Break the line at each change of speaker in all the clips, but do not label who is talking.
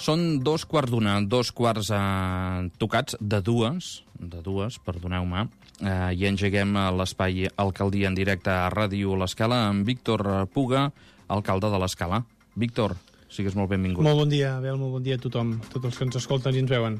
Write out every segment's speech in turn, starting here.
Són 2:15, 2:15 tocats, de dues, perdoneu-me, i engeguem l'espai Alcaldia en directe a Ràdio L'Escala amb Víctor Puga, alcalde de l'Escala. Víctor, sigues molt benvingut.
Molt bon dia, Abel, molt bon dia a tothom, tots els que ens escolten i ens veuen.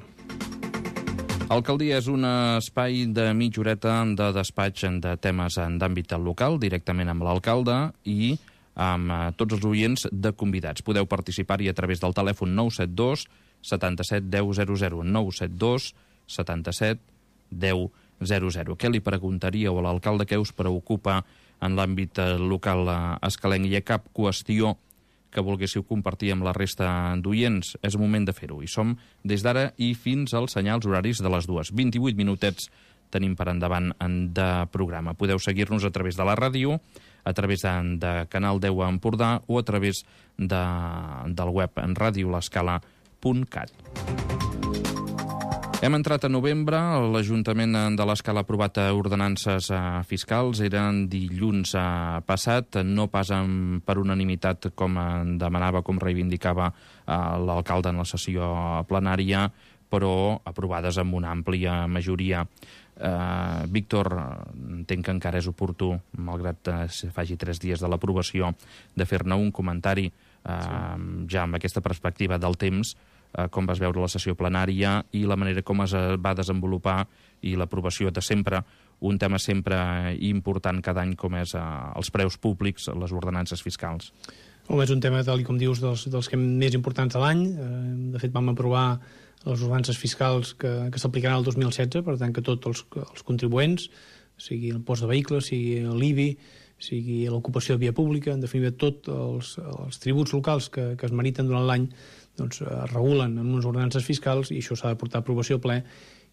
Alcaldia és un espai de mitja horeta de despatx de temes d'àmbit local, directament amb l'alcalde i amb tots els oients de convidats. Podeu participar-hi a través del telèfon 972 77 10 00, 972 77 10 00. Què li preguntaríeu a l'alcalde? Què us preocupa en l'àmbit local escalenc? Hi ha cap qüestió que volguéssiu compartir amb la resta d'oients? És moment de fer-ho. I som des d'ara i fins als senyals horaris de les 2. 28 minutets tenim per endavant de programa. Podeu seguir-nos a través de la ràdio, a través de Canal 10 a Empordà o a través del web en radiolescala.cat. Hem entrat a novembre, l'Ajuntament de l'Escala ha aprovat ordenances fiscals, eren dilluns passat, no pas per unanimitat com demanava, com reivindicava l'alcalde en la sessió plenària, però aprovades amb una àmplia majoria. Víctor, entenc que encara és oportú, malgrat que faci 3 dies de l'aprovació, de fer-ne un comentari ja amb aquesta perspectiva del temps, com vas veure la sessió plenària i la manera com es va desenvolupar i l'aprovació de sempre, un tema sempre important cada any com és els preus públics, les ordenances fiscals.
Home, és un tema, tal com dius, dels que més importants de l'any. De fet, vam aprovar les ordenances fiscals que s'aplicaran el 2016, per tant que tots els contribuents, sigui el post de vehicles, sigui l'IBI, sigui l'ocupació de via pública, en definitiva tots els tributs locals que es meriten durant l'any, doncs es regulen en unes ordenances fiscals i això s'ha de portar a aprovació al ple,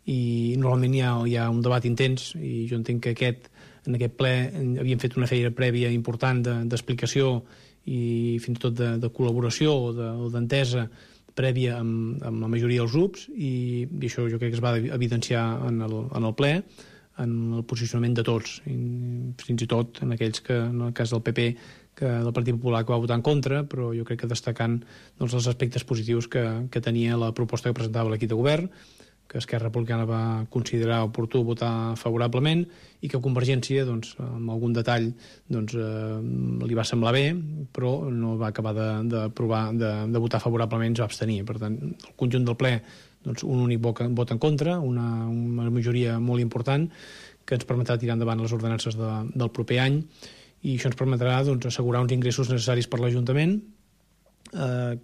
i normalment hi ha un debat intens, i jo entenc que en aquest ple havíem fet una feina prèvia important d'explicació i fins i tot de col·laboració o d'entesa prèvia amb la majoria dels grups, i això jo crec que es va evidenciar en el ple, en el posicionament de tots, fins i tot en aquells que, en el cas del PP, del Partit Popular, que va votar en contra, però jo crec que destacant els aspectes positius que tenia la proposta que presentava l'equip de govern, que Esquerra Republicana va considerar oportú votar favorablement i que Convergència, amb algun detall, li va semblar bé, però no va acabar de votar favorablement, es va abstenir. Per tant, el conjunt del ple, un únic vot en contra, una majoria molt important, que ens permetrà tirar endavant les ordenances del proper any, i això ens permetrà assegurar uns ingressos necessaris per l'Ajuntament,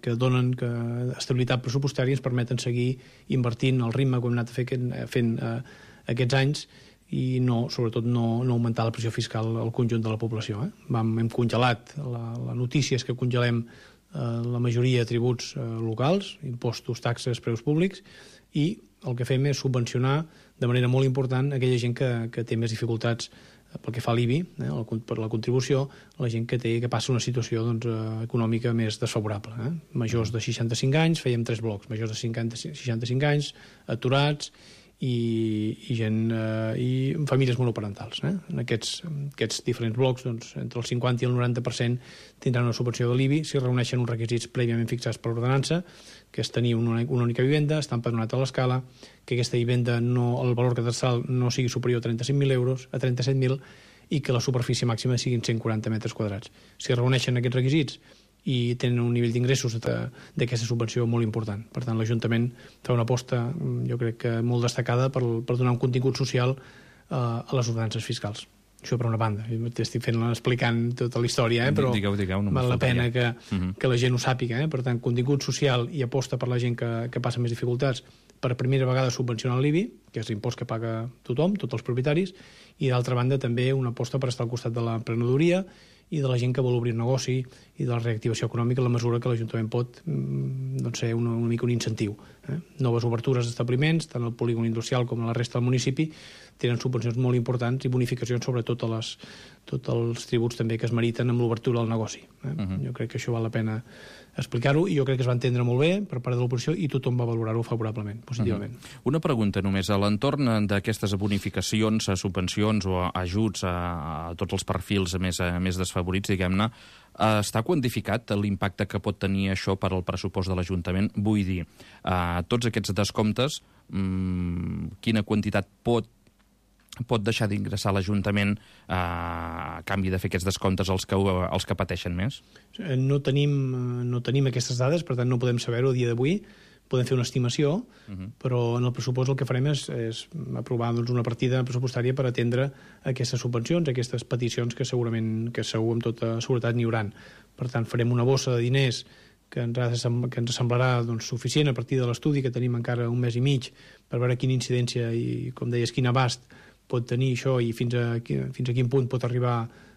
que donen estabilitat pressupostària i ens permeten seguir invertint al ritme que hem anat fent aquests anys i sobretot no augmentar la pressió fiscal al conjunt de la població. Hem congelat, la notícia és que congelem la majoria de tributs locals, impostos, taxes, preus públics, i el que fem és subvencionar de manera molt important aquella gent que té més dificultats pel que fa a l'IBI, per la contribució, la gent que passa una situació econòmica més desfavorable. Majors de 65 anys, fèiem 3 blocs, majors de 65 anys, aturats i famílies monoparentals. En aquests diferents blocs, entre el 50 i el 90% tindran una subvenció de l'IBI si reuneixen uns requisits prèviament fixats per l'ordenança, que és tenir una única vivenda, estar empadronat a l'Escala, que aquesta vivenda, el valor catastral no sigui superior a 35.000 euros, a 37.000, i que la superfície màxima siguin 140 metres quadrats. Si reuneixen aquests requisits i tenen un nivell d'ingressos d'aquesta subvenció molt important. Per tant, l'Ajuntament fa una aposta, jo crec que molt destacada, per donar un contingut social a les ordenances fiscals. Això per una banda, estic explicant tota la història, però val la pena que la gent ho sàpiga. Per tant, contingut social i aposta per la gent que passa més dificultats, per primera vegada subvencionar l'IBI, que és l'impost que paga tothom, tots els propietaris, i d'altra banda també una aposta per estar al costat de l'emprenedoria i de la gent que vol obrir un negoci i de la reactivació econòmica en la mesura que l'Ajuntament pot ser una mica un incentiu. Noves obertures d'establiments, tant al polígon industrial com a la resta del municipi, tenen subvencions molt importants i bonificacions sobre tots els tributs també que es meriten amb l'obertura del negoci. Jo crec que això val la pena explicar-ho, i jo crec que es va entendre molt bé per part de l'oposició i tothom va valorar-ho favorablement, positivament.
Una pregunta només. A l'entorn d'aquestes bonificacions, subvencions o ajuts a tots els perfils més desfavorits, diguem-ne, Està quantificat l'impacte que pot tenir això per al pressupost de l'Ajuntament? Vull dir, tots aquests descomptes, quina quantitat pot deixar d'ingressar l'Ajuntament a canvi de fer aquests descomptes els que pateixen més?
No tenim aquestes dades, per tant no podem saber-ho a dia d'avui. Podem fer una estimació, però en el pressupost el que farem és aprovar una partida pressupostària per atendre aquestes subvencions, aquestes peticions que segur amb tota seguretat n'hi hauran. Per tant, farem una bossa de diners que ens semblarà suficient a partir de l'estudi, que tenim encara un mes i mig, per veure quina incidència i, com deies, quin abast pot tenir això i fins a quin punt pot arribar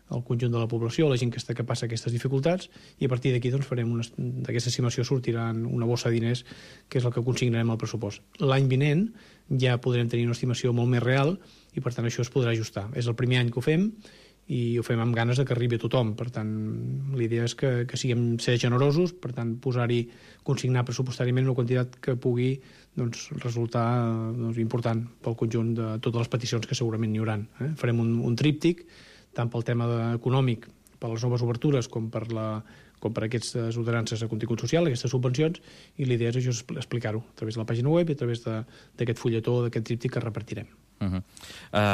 al conjunt de la població, la gent que passa aquestes dificultats, i a partir d'aquí farem d'aquesta estimació sortirà una bossa de diners, que és el que consignarem al pressupost. L'any vinent ja podrem tenir una estimació molt més real i per tant això es podrà ajustar. És el primer any que ho fem i ho fem amb ganes de que arribi a tothom. Per tant, l'idea és que siguem ser generosos, per tant, consignar pressupostàriament una quantitat que pugui resultar important pel conjunt de totes les peticions que segurament n'hi hauran. Farem un tríptic, tant pel tema econòmic, per les noves obertures, com per aquestes ordenances de contingut social, aquestes subvencions, i l'idea és això, explicar-ho a través de la pàgina web i a través d'aquest fulletó, d'aquest tríptic que repartirem.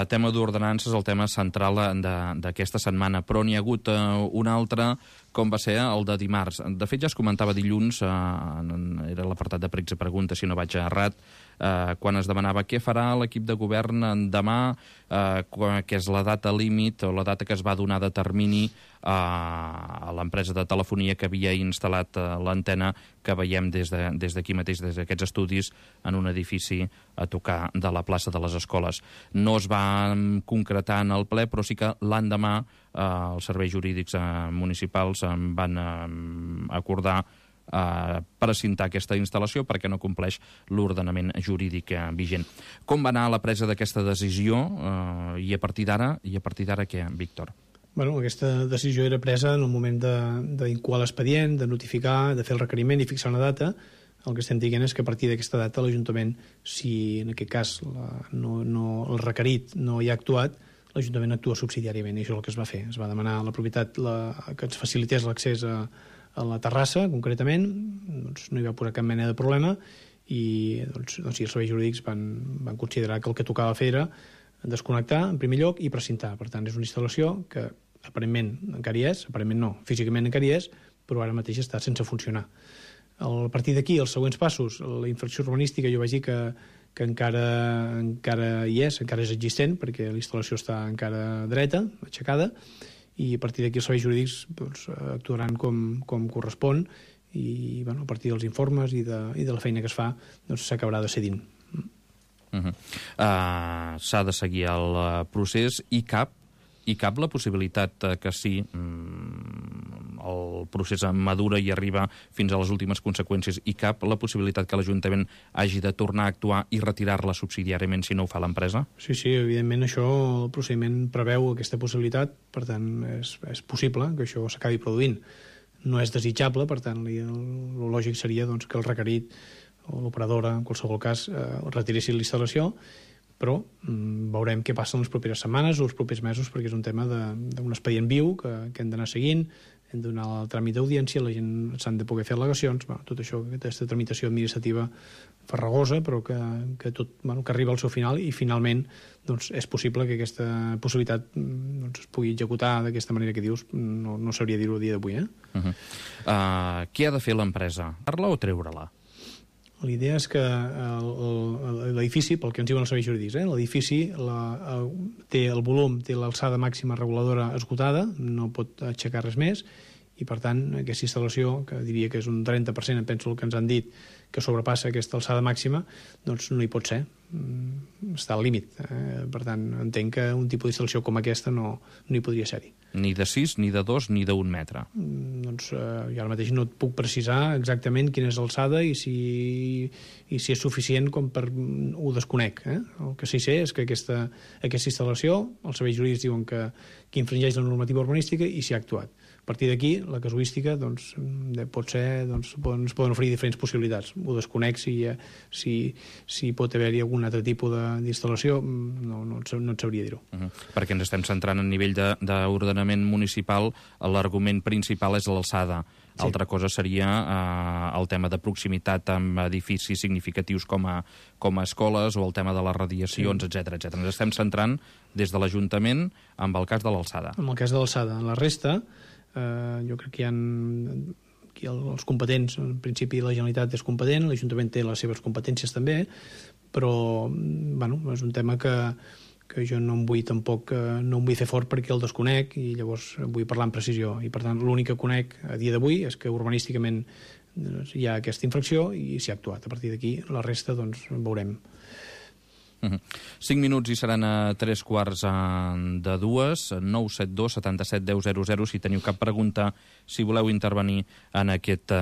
Tema d'ordenances, el tema central d'aquesta setmana, però n'hi ha hagut un altre, com va ser el de dimarts. De fet, ja es comentava dilluns, era l'apartat de pregs i preguntes, si no vaig errat, quan es demanava què farà l'equip de govern demà, que és la data límit o la data que es va donar de termini a l'empresa de telefonia que havia instal·lat l'antena que veiem des d'aquí mateix, des d'aquests estudis, en un edifici a tocar de la plaça de les Escoles. No es va concretar en el ple, però sí que l'endemà els serveis jurídics municipals van acordar precintar aquesta instal·lació perquè no compleix l'ordenament jurídic vigent. Com va anar la presa d'aquesta decisió i a partir d'ara què, Víctor?
Bueno, aquesta decisió era presa en el moment d'incoar l'expedient, de notificar, de fer el requeriment i fixar una data. El que estem dient és que a partir d'aquesta data l'Ajuntament, si en aquest cas el requerit no hi ha actuat, l'Ajuntament actua subsidiàriament, i això és el que es va fer. Es va demanar a la propietat que ens facilités l'accés a la terrassa, concretament, no hi va posar cap mena de problema, i els serveis jurídics van considerar que el que tocava fer era desconnectar, en primer lloc, i precintar. Per tant, és una instal·lació que aparentment encara hi és, aparentment no, físicament encara hi és, però ara mateix està sense funcionar. A partir d'aquí, els següents passos, la infracció urbanística, jo vaig dir que encara hi és, encara és existent, perquè la instal·lació està encara dreta, aixecada, i a partir d'aquí els serveis jurídics actuaran com correspon, i a partir dels informes i de la feina que es fa s'acabarà decidint.
S'ha de seguir el procés i cap la possibilitat que sí, el procés madura i arriba fins a les últimes conseqüències, i cap la possibilitat que l'Ajuntament hagi de tornar a actuar i retirar-la subsidiàriament si no ho fa l'empresa? Sí,
evidentment això, el procediment preveu aquesta possibilitat, per tant és possible que això s'acabi produint. No és desitjable, per tant el lògic seria que el requerit o l'operadora, en qualsevol cas, retiressin l'instal·lació, però veurem què passa en les properes setmanes o els propers mesos, perquè és un tema d'un expedient viu que hem d'anar seguint, hem de donar el tràmit d'audiència, la gent s'han de poder fer al·legacions, tot això, aquesta tramitació administrativa farragosa, però que arriba al seu final, i finalment és possible que aquesta possibilitat es pugui executar d'aquesta manera que dius, no sabria dir-ho a dia d'avui.
Què ha de fer l'empresa? Dar-la o treure-la?
L'idea és que l'edifici, pel que ens diuen els serveis jurídics, l'edifici té el volum, té l'alçada màxima reguladora esgotada, no pot aixecar res més, i per tant aquesta instal·lació, que diria que és un 30%, em penso el que ens han dit, que sobrepassa aquesta alçada màxima, doncs no hi pot ser, està al límit. Per tant, entenc que un tipus d'instal·lació com aquesta no hi podria ser-hi.
Ni de 6, ni de 2, ni d'1 metre?
Doncs jo ara mateix no et puc precisar exactament quina és l'alçada i si és suficient com per... ho desconec. El que sí sé és que aquesta instal·lació, els serveis jurídics diuen que infringeix la normativa urbanística i s'hi ha actuat. A partir d'aquí, la casuística pot ser, ens poden oferir diferents possibilitats. ho desconec si pot haver-hi algun altre tipus d'instal·lació, no et sabria dir-ho.
Perquè ens estem centrant en nivell d'ordenament municipal, l'argument principal és l'alçada. Sí. Altra cosa seria el tema de proximitat amb edificis significatius com a escoles o el tema de les radiacions, etc. Ens estem centrant des de l'Ajuntament amb el cas de l'alçada.
En el cas de l'alçada. En la resta, jo crec que hi ha aquí els competents. En principi la Generalitat és competent, l'Ajuntament té les seves competències també, però és un tema que jo no em vull fer fort perquè el desconec i llavors vull parlar amb precisió. I per tant l'únic que conec a dia d'avui és que urbanísticament hi ha aquesta infracció i s'hi ha actuat. A partir d'aquí la resta veurem.
5 minuts i seran a 3:15 de 2, 972 77 10 00, si teniu cap pregunta, si voleu intervenir en aquest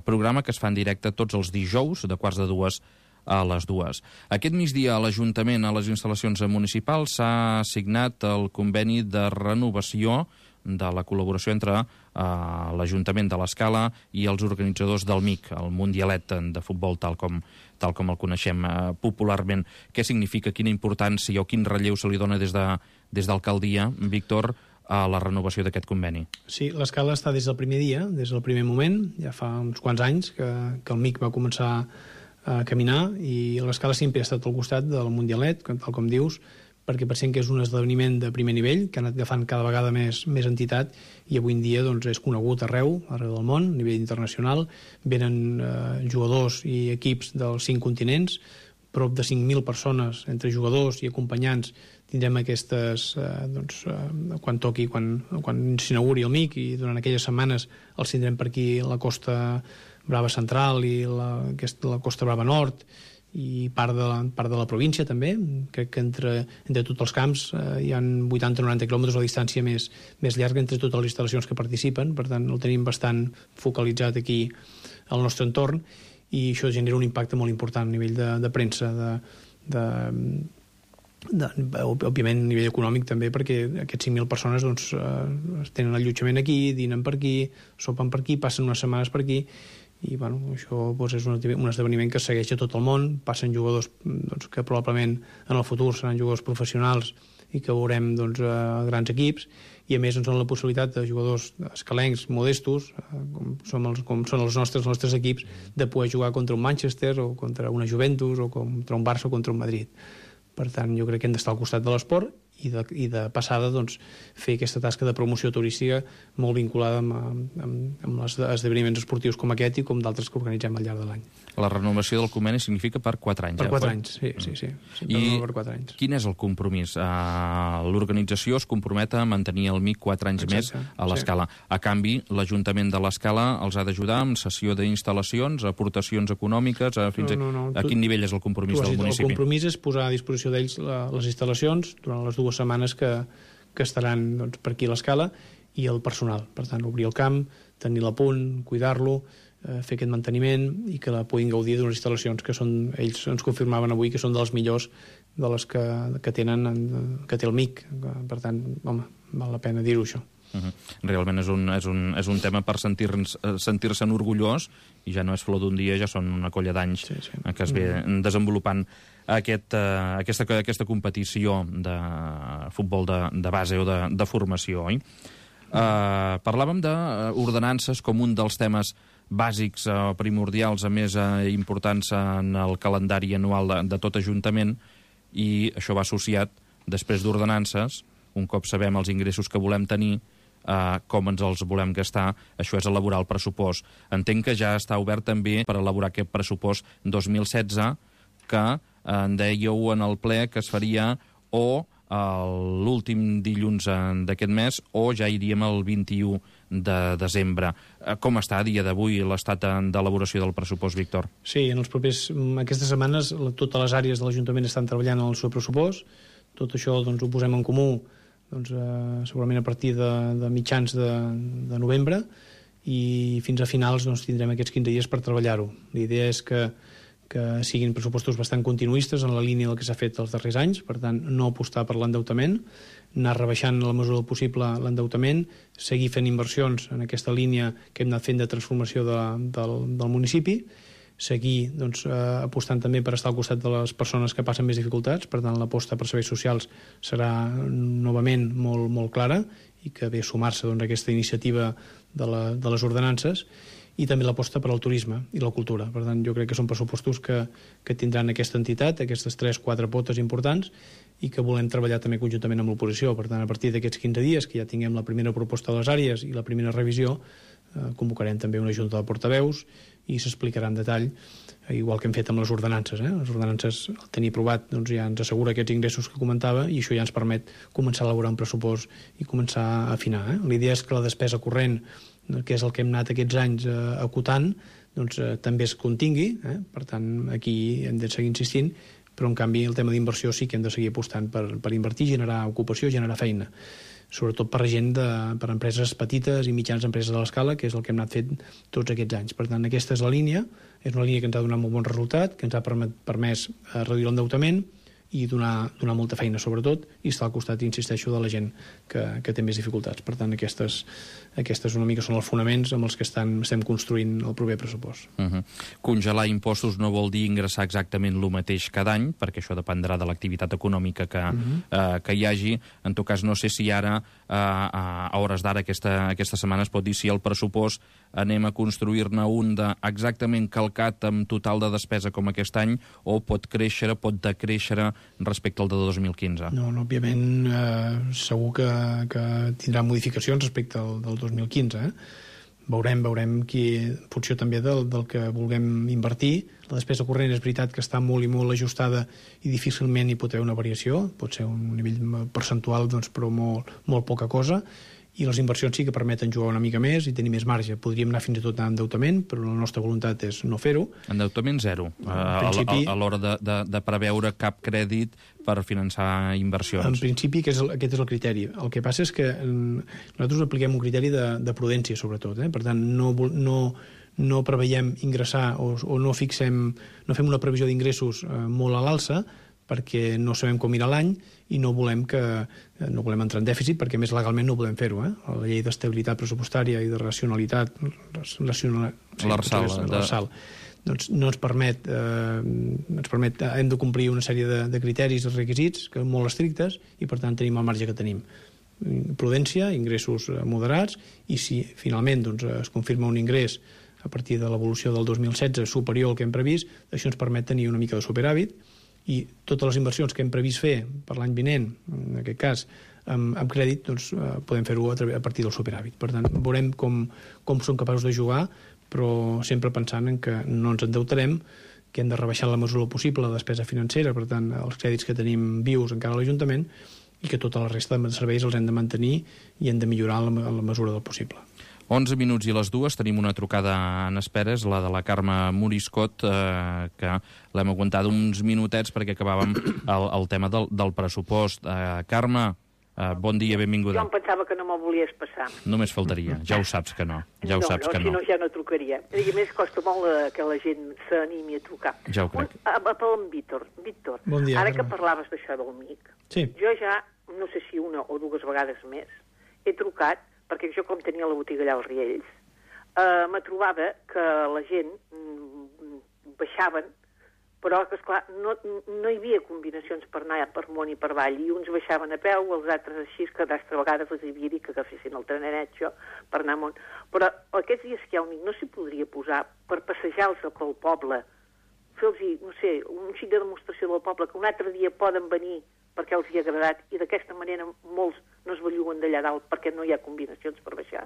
programa que es fa en directe tots els dijous de 1:45 a les 2. Aquest migdia a l'Ajuntament, a les instal·lacions municipals, s'ha signat el conveni de renovació de la col·laboració entre l'Ajuntament de l'Escala i els organitzadors del MIC, el Mundialet de futbol, tal com el coneixem popularment. Què significa, quina importància o quin relleu se li dona des d'alcaldia, Víctor, a la renovació d'aquest conveni?
Sí, l'Escala està des del primer dia, des del primer moment, ja fa uns quants anys que el MIC va començar a caminar i l'Escala sempre ha estat al costat del Mundialet, tal com dius, perquè pensem que és un esdeveniment de primer nivell que ha anat agafant cada vegada més entitat i avui en dia és conegut arreu del món, a nivell internacional. Venen jugadors i equips dels 5 continents, prop de 5.000 persones entre jugadors i acompanyants. Tindrem aquestes, quan toqui, quan s'inauguri el MIC, i durant aquelles setmanes els tindrem per aquí la Costa Brava Central i la Costa Brava Nord i part de la província també. Crec que entre tots els camps hi ha 80-90 quilòmetres de distància més llarga entre totes les instal·lacions que participen, per tant el tenim bastant focalitzat aquí al nostre entorn i això genera un impacte molt important a nivell de premsa, òbviament a nivell econòmic també, perquè aquests 5.000 persones tenen allotjament aquí, dinen per aquí, sopen per aquí, passen unes setmanes per aquí i això és un esdeveniment que segueix a tot el món. Passen jugadors que probablement en el futur seran jugadors professionals i que veurem grans equips, i a més ens donen la possibilitat de jugadors escalencs modestos, com són els nostres equips, de poder jugar contra un Manchester o contra una Juventus o contra un Barça o contra un Madrid. Per tant, jo crec que hem d'estar al costat de l'esport i de passada fer aquesta tasca de promoció turística molt vinculada amb els esdeveniments esportius com aquest i com d'altres que organitzem al llarg de l'any.
La renovació del conveni significa per 4 anys.
Per 4 anys, sí.
I
per 4 anys.
Quin és el compromís? L'organització es compromet a mantenir el MIC 4 anys més a l'Escala. A canvi, l'Ajuntament de l'Escala els ha d'ajudar amb cessió d'instal·lacions, aportacions econòmiques, a quin nivell és el compromís del municipi?
El compromís és posar a disposició d'ells les instal·lacions durant les 2 setmanes que estaran per aquí a l'Escala i el personal. Per tant, obrir el camp, tenir-lo a punt, cuidar-lo, fer aquest manteniment i que la puguin gaudir d'unes instal·lacions que ells ens confirmaven avui que són de les millors de les que té el MIC. Per tant, val la pena dir-ho, això.
Realment és un tema per sentir-se'n orgullós, i ja no és flor d'un dia, ja són una colla d'anys que es ve desenvolupant aquesta competició de futbol de base o de formació, oi? Parlàvem d'ordenances com un dels temes bàsics o primordials a més importants en el calendari anual de tot Ajuntament, i això va associat, després d'ordenances, un cop sabem els ingressos que volem tenir, com ens els volem gastar, això és elaborar el pressupost. Entenc que ja està obert també per elaborar aquest pressupost 2016, que en dèieu en el ple que es faria o l'últim dilluns d'aquest mes o ja iríem el 21 de desembre. Com està a dia d'avui l'estat d'elaboració del pressupost, Víctor?
Sí, aquestes setmanes totes les àrees de l'Ajuntament estan treballant en el seu pressupost. Tot això ho posem en comú segurament a partir de mitjans de novembre, i fins a finals tindrem aquests 15 dies per treballar-ho. La idea és que siguin pressupostos bastant continuistes en la línia del que s'ha fet els darrers anys, per tant, no apostar per l'endeutament, anar rebaixant en la mesura del possible l'endeutament, seguir fent inversions en aquesta línia que hem anat fent de transformació del municipi, seguir doncs, apostant també per estar al costat de les persones que passen més dificultats. Per tant, l'aposta per serveis socials serà novament molt clara i que ve sumar-se doncs, a aquesta iniciativa de les ordenances, i també l'aposta per al turisme i la cultura. Per tant, jo crec que són pressupostos que tindran aquesta entitat, aquestes 3-4 potes importants, i que volem treballar també conjuntament amb l'oposició. Per tant, a partir d'aquests 15 dies, que ja tinguem la primera proposta de les àrees i la primera revisió, convocarem també una junta de portaveus i s'explicarà en detall, igual que hem fet amb les ordenances. Les ordenances, al tenir aprovat, doncs ja ens assegura aquests ingressos que comentava, i això ja ens permet començar a elaborar un pressupost i començar a afinar. La idea és que la despesa corrent, que és el que hem anat aquests anys acotant, doncs també es contingui. Per tant, aquí hem de seguir insistint, però en canvi el tema d'inversió sí que hem de seguir apostant per invertir, generar ocupació, generar feina, sobretot per gent, per empreses petites i mitjanes empreses de l'escala, que és el que hem anat fent tots aquests anys. Per tant, aquesta és la línia, és una línia que ens ha donat molt bon resultat, que ens ha permès reduir l'endeutament i donar molta feina, sobretot, i estar al costat, insisteixo, de la gent que té més dificultats. Per tant, aquestes una mica són els fonaments amb els que estem construint el proper pressupost.
Congelar impostos no vol dir ingressar exactament el mateix cada any, perquè això dependrà de l'activitat econòmica que hi hagi. En tot cas, no sé si ara, a hores d'ara, aquesta setmana, es pot dir si el pressupost anem a construir-ne un exactament calcat amb total de despesa com aquest any, o pot créixer, pot decréixer respecte al de 2015?
No, òbviament, segur que tindrà modificacions respecte al del 2015. Veurem qui, en funció també del que vulguem invertir. La despesa corrent és veritat que està molt i molt ajustada i difícilment hi pot haver una variació, pot ser un nivell percentual, doncs, però molt poca cosa, i les inversions sí que permeten jugar una mica més i tenir més marge. Podríem anar fins i tot a endeutament, però la nostra voluntat és no fer-ho.
Endeutament zero, a l'hora de preveure cap crèdit per finançar inversions.
En principi aquest és el criteri. El que passa és que nosaltres apliquem un criteri de prudència, sobretot. Per tant, no preveiem ingressar o no fem una previsió d'ingressos molt a l'alça, perquè no sabem com irà l'any i no volem entrar en dèficit, perquè més legalment no podem fer-ho. La llei d'estabilitat pressupostària i de racionalitat, l'ARSAL, doncs no ens permet, hem de complir una sèrie de criteris i requisits que són molt estrictes, i per tant tenim el marge que tenim. Prudència, ingressos moderats, i si finalment es confirma un ingrés a partir de l'evolució del 2016 superior al que hem previst, això ens permet tenir una mica de superàvit, i totes les inversions que hem previst fer per l'any vinent, en aquest cas, amb crèdit, doncs podem fer-ho a partir del superàvit. Per tant, veurem com som capaços de jugar, però sempre pensant en que no ens endeutarem, que hem de rebaixar en la mesura possible la despesa financera, per tant, els crèdits que tenim vius encara a l'Ajuntament, i que tota la resta de serveis els hem de mantenir i hem de millorar en la mesura del possible.
11 minuts i les 2, tenim una trucada en esperes, la de la Carme Moriscot, que l'hem aguantat uns minutets perquè acabàvem el tema del pressupost. Carme, bon dia, benvinguda.
Jo em pensava que no me'l volies passar.
Només faltaria, ja ho saps que no. Ja ho saps que no.
Si no, ja no trucaria. I a més, costa molt que la gent s'animi a trucar.
Ja ho crec.
Pel Víctor,
bon dia,
ara que parlaves d'això del MIC, jo ja, no sé si una o dues vegades més, he trucat, perquè jo com tenia la botiga allà als Riells, me trobava que la gent baixaven, però que, esclar, no hi havia combinacions per anar per amunt i per avall, i uns baixaven a peu, els altres així, que d'altres vegades els havia dit que agafessin el trenet, per anar amunt. Però aquests dies que hi ha un MIC no s'hi podria posar per passejar-los pel poble, fer-los, no sé, un xic de demostració del poble, que un altre dia poden venir perquè els hi ha agradat, i d'aquesta manera molts no es belluguen d'allà dalt perquè no hi ha combinacions per baixar.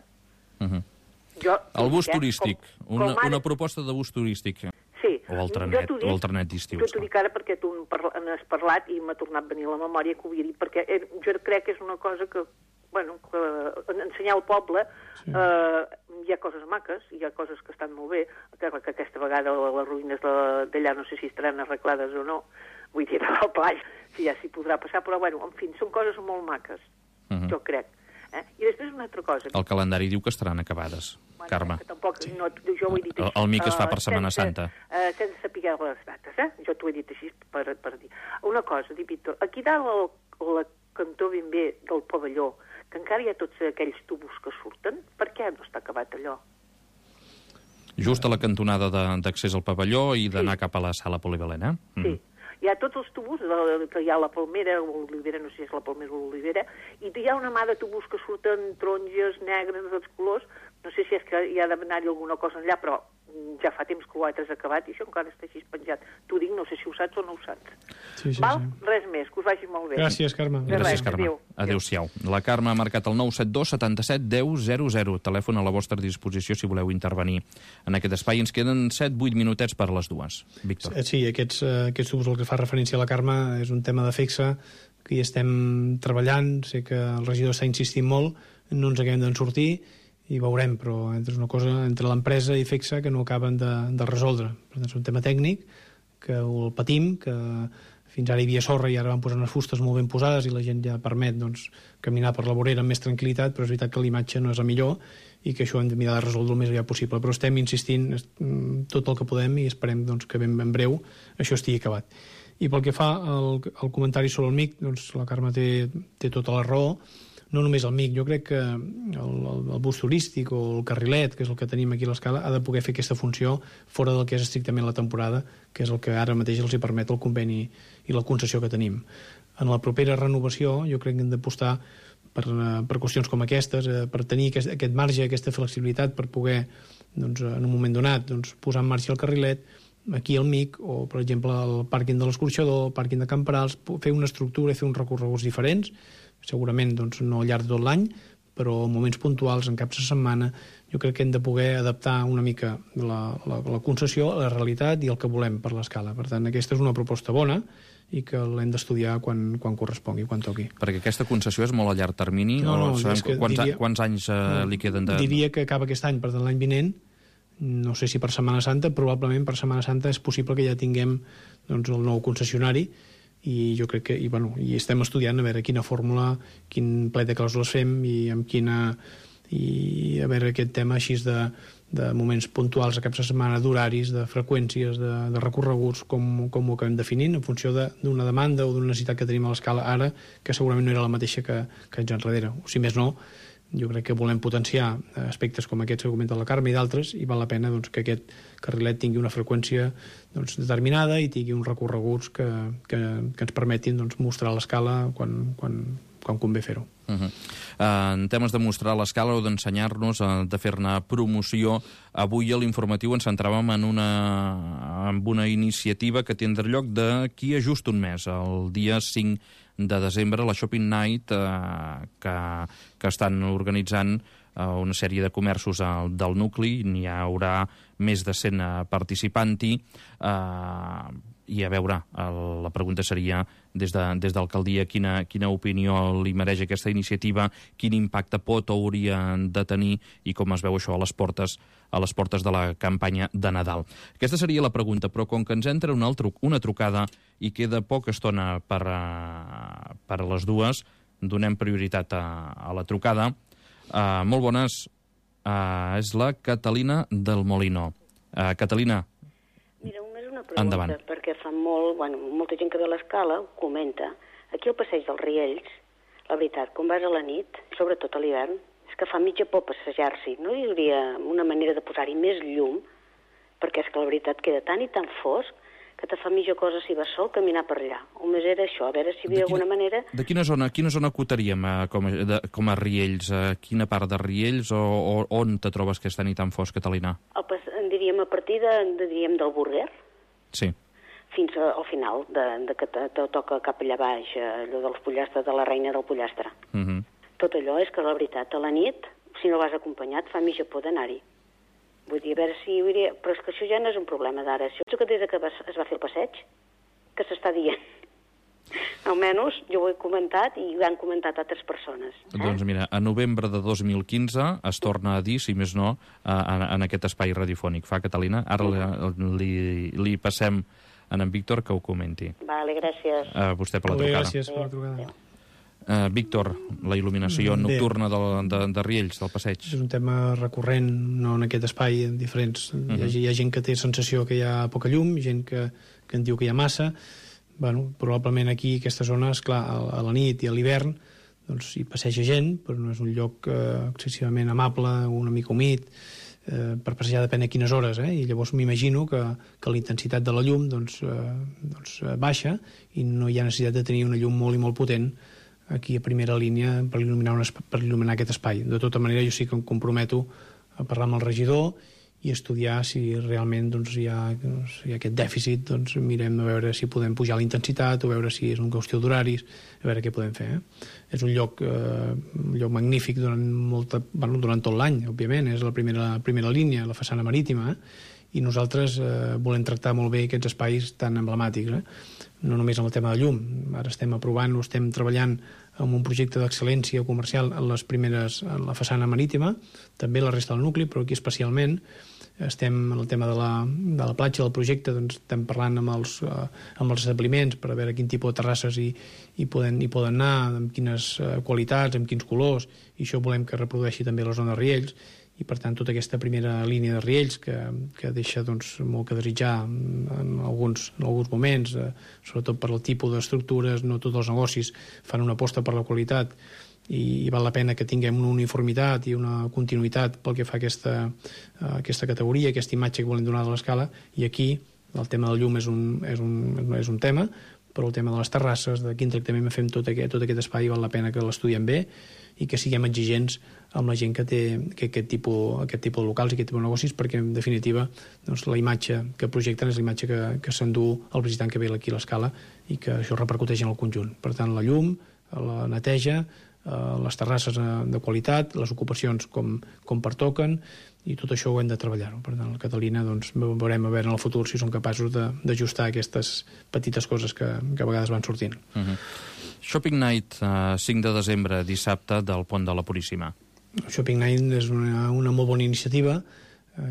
El bus turístic, una proposta de bus turístic.
Sí.
O el trenet d'estiu.
Jo t'ho dic ara perquè tu n'has parlat i m'ha tornat a venir a la memòria que ho havia dit, perquè jo crec que és una cosa que, bueno, que ensenyar al poble, hi ha coses maques, hi ha coses que estan molt bé, que aquesta vegada les ruïnes d'allà no sé si estaran arreglades o no, vull dir, al Plage, si ja s'hi podrà passar, però, bueno, en fi, són coses molt maques, jo crec. I després una altra cosa.
El calendari diu que estaran acabades, Carme.
Tampoc, jo ho he dit així.
El MIC es fa per Setmana Santa.
Sense saber les dates, jo t'ho he dit així per dir. Una cosa, Víctor, aquí dalt la cantó ben bé del pavelló, que encara hi ha tots aquells tubos que surten, per què no està acabat allò?
Just a la cantonada d'accés al pavelló i d'anar cap a la sala polivalent,
Sí. Hi ha tots els tubos, que hi ha la palmera o l'olivera, no sé si és la palmera o l'olivera, i hi ha una mà de tubos que surten taronges, negres, de tots colors. No sé si és que hi ha d'anar-hi alguna cosa enllà, però ja fa temps que ho has acabat i això encara està així penjat. T'ho dic, no sé si ho saps o no ho saps.
Sí.
Res més, que us vagi molt bé.
Gràcies, Carme.
Gràcies, Carme. Adéu-siau. La Carme ha marcat el 972 77 10 00. Telèfon a la vostra disposició si voleu intervenir en aquest espai. Ens queden 7-8 minutets per les dues. Víctor.
Sí, aquests tubs, el que fa referència a la Carme, és un tema de FECSA que hi estem treballant. Sé que el regidor està insistint molt, no ens acabem d'en sortir, i veurem, però és una cosa entre l'empresa i FECSA que no acaben de resoldre. Per tant, és un tema tècnic que el patim, que fins ara hi havia sorra i ara van posar unes fustes molt ben posades i la gent ja permet caminar per la vorera amb més tranquil·litat, però és veritat que l'imatge no és la millor i que això hem de mirar de resoldre el més aviat possible. Però estem insistint tot el que podem i esperem que ben breu això estigui acabat. I pel que fa al comentari sobre el MIC, la Carme té tota la raó. No només el MIC, jo crec que el bus turístic o el carrilet, que és el que tenim aquí a l'Escala, ha de poder fer aquesta funció fora del que és estrictament la temporada, que és el que ara mateix els hi permet el conveni i la concessió que tenim. En la propera renovació jo crec que hem d'apostar per qüestions com aquestes, per tenir aquest marge, aquesta flexibilitat per poder, en un moment donat, posar en marxa el carrilet, aquí al MIC, o per exemple al pàrquing de l'Escorxador, el pàrquing de Camperals, fer una estructura i fer uns recorreguts diferents, segurament no al llarg de tot l'any, però en moments puntuals, en caps de setmana, jo crec que hem de poder adaptar una mica la concessió a la realitat i el que volem per l'Escala. Per tant, aquesta és una proposta bona i que l'hem d'estudiar quan correspongui, quan toqui.
Perquè aquesta concessió és molt a llarg termini? Quants anys li queden de...
Diria que acaba aquest any, per tant l'any vinent, no sé si per Setmana Santa, probablement per Setmana Santa és possible que ja tinguem el nou concessionari i jo crec que i estem estudiant a veure quina fórmula, quin plet de clàusules fem i amb quina i a veure aquest tema així de moments puntuals a caps de setmana, d'horaris, de freqüències, de recorreguts, com ho acabem definint en funció d'una demanda o d'una necessitat que tenim a l'Escala ara, que segurament no era la mateixa que anys enrere. O si més no, jo crec que volem potenciar aspectes com aquests que comenta la Carme i d'altres, i val la pena que aquest carrilet tingui una freqüència determinada i tingui uns recorreguts que ens permetin mostrar l'Escala quan convé fer-ho.
En temes de mostrar l'Escala o d'ensenyar-nos, de fer-ne promoció, avui a l'informatiu ens centràvem en una iniciativa que tindrà lloc d'aquí a just un mes, el dia 5 de desembre, la Shopping Night, que estan organitzant una sèrie de comerços del nucli. N'hi haurà més de 100 participants-hi. I a veure, la pregunta seria des d'alcaldia quina opinió li mereix aquesta iniciativa, quin impacte pot o hauria de tenir i com es veu això a les portes de la campanya de Nadal. Aquesta seria la pregunta, però com que ens entra una trucada i queda poca estona per a les dues, donem prioritat a la trucada. Molt bones, és la Catalina del Molino. Catalina,
mira, només una pregunta,
endavant.
Perquè fa molta gent que ve a l'Escala ho comenta. Aquí al passeig dels Riells, la veritat, quan vas a la nit, sobretot a l'hivern, és que fa mitja por passejar-s'hi. No hi hauria una manera de posar-hi més llum, perquè és que la veritat queda tan i tan fosc que te fa mitja cosa si vas sol caminar per allà. O més era això, a veure si hi havia alguna manera...
De quina zona acotaríem com a Riells? Quina part de Riells o on te trobes que està ni tan fosc, Catalina?
Diríem a partir del Burger.
Sí.
Fins al final, que te toca cap allà baix, allò dels pollastres, de la reina del pollastre. Tot allò és que, la veritat, a la nit, si no vas acompanyat, fa mitja por d'anar-hi. Vull dir, a veure si... Però és que això ja no és un problema d'ara. Això que des que es va fer el passeig, que s'està dient. Almenys jo ho he comentat i ho han comentat altres persones.
Doncs mira, a novembre de 2015 es torna a dir, si més no, en aquest espai radiofònic. Fa, Catalina? Ara li passem a en Víctor que ho comenti.
Vale, gràcies.
Vostè per la trucada.
Gràcies per la trucada.
Víctor, la il·luminació nocturna de Riells, del passeig.
És un tema recurrent, no en aquest espai, en diferents. Hi ha gent que té sensació que hi ha poca llum, gent que en diu que hi ha massa. Probablement aquí, aquesta zona, esclar, a la nit i a l'hivern, hi passeja gent, però no és un lloc excessivament amable, una mica humit. per passejar depèn a quines hores, i llavors m'imagino que la intensitat de la llum baixa i no hi ha necessitat de tenir una llum molt i molt potent aquí a primera línia per il·luminar aquest espai. De tota manera, jo sí que em comprometo a parlar amb el regidor i estudiar si realment hi ha aquest dèficit, mirem a veure si podem pujar la intensitat o veure si és una qüestió d'horaris, a veure què podem fer. És un lloc magnífic durant tot l'any, òbviament, és la primera línia, la façana marítima, i nosaltres volem tractar molt bé aquests espais tan emblemàtics, no només amb el tema de llum. Ara estem aprovant, estem treballant amb un projecte d'excel·lència comercial en la façana marítima, també la resta del nucli, però aquí especialment estem en el tema de la platja del projecte, estem parlant amb els establiments per veure quin tipus de terrasses hi poden anar, amb quines qualitats, amb quins colors, i això volem que reprodueixi també la zona de Riells, i per tant tota aquesta primera línia de Riells que deixa molt que desitjar en alguns moments, sobretot per el tipus d'estructures. No tots els negocis fan una aposta per la qualitat i val la pena que tinguem una uniformitat i una continuïtat pel que fa a aquesta categoria, aquesta imatge que volem donar de l'escala, i aquí el tema del llum és un tema, però el tema de les terrasses, de quin tractament fem tot aquest espai, val la pena que l'estudiem bé i que siguem exigents amb la gent que té aquest tipus de locals i aquest tipus de negocis, perquè en definitiva la imatge que projecten és la imatge que s'endú el visitant que ve aquí a l'escala i que això repercuteix en el conjunt. Per tant, la llum, la neteja, les terrasses de qualitat, les ocupacions com pertoquen, i tot això ho hem de treballar. Per tant, a Catalina veurem a veure en el futur si som capaços d'ajustar aquestes petites coses que a vegades van sortint.
Shopping Night, 5 de desembre, dissabte, del Pont de la Puríssima.
Shopping Night és una molt bona iniciativa.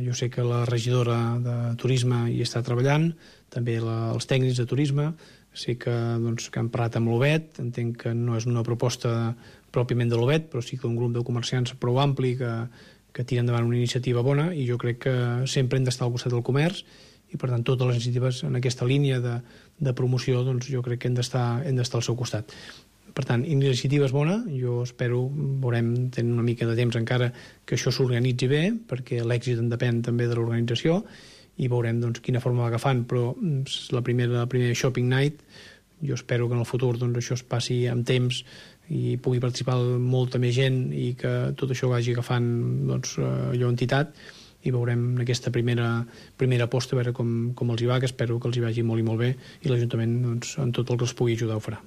Jo sé que la regidora de Turisme hi està treballant, també els tècnics de Turisme. Sé que han parlat amb l'OBET, entenc que no és una proposta pròpiament de l'OBET, però sí que un grup de comerciants prou ampli que tira endavant una iniciativa bona, i jo crec que sempre hem d'estar al costat del comerç, i per tant totes les iniciatives en aquesta línia de promoció jo crec que hem d'estar al seu costat. Per tant, iniciativa és bona, jo espero, veurem, tenint una mica de temps encara, que això s'organitzi bé, perquè l'èxit en depèn també de l'organització, i veurem quina forma va agafant, però la primera Shopping Night, jo espero que en el futur això es passi amb temps i pugui participar molta més gent i que tot això vagi agafant allò entitat, i veurem aquesta primera aposta a veure com els hi va, que espero que els hi vagi molt i molt bé, i l'Ajuntament en tot el que els pugui ajudar ho farà.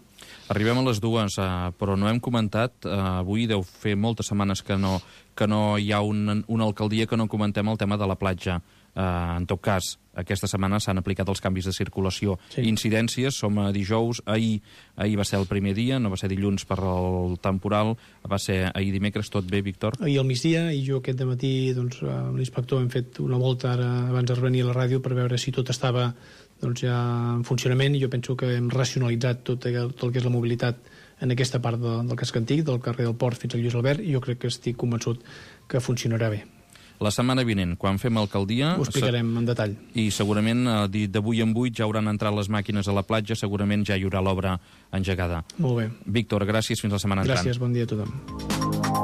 Arribem a les 2, però no hem comentat, avui deu fer moltes setmanes que no hi ha una alcaldia que no comentem el tema de la platja. En tot cas, aquesta setmana s'han aplicat els canvis de circulació. Sí. Incidències, som a dijous, ahir va ser el primer dia, no va ser dilluns per el temporal, va ser ahir dimecres. Tot bé, Víctor?
Ahir al migdia, i jo aquest dematí amb l'inspector hem fet una volta ara abans de venir a la ràdio per veure si tot estava ja en funcionament, i jo penso que hem racionalitzat tot el que és la mobilitat en aquesta part del casc antic, del carrer del Port fins al Lluís Albert, i jo crec que estic convençut que funcionarà bé.
La setmana vinent, quan fem alcaldia...
Ho explicarem en detall.
I segurament d'avui en 8 ja hauran entrat les màquines a la platja, segurament ja hi haurà l'obra engegada.
Molt bé.
Víctor, gràcies, fins la setmana entrant.
Gràcies, bon dia a tothom.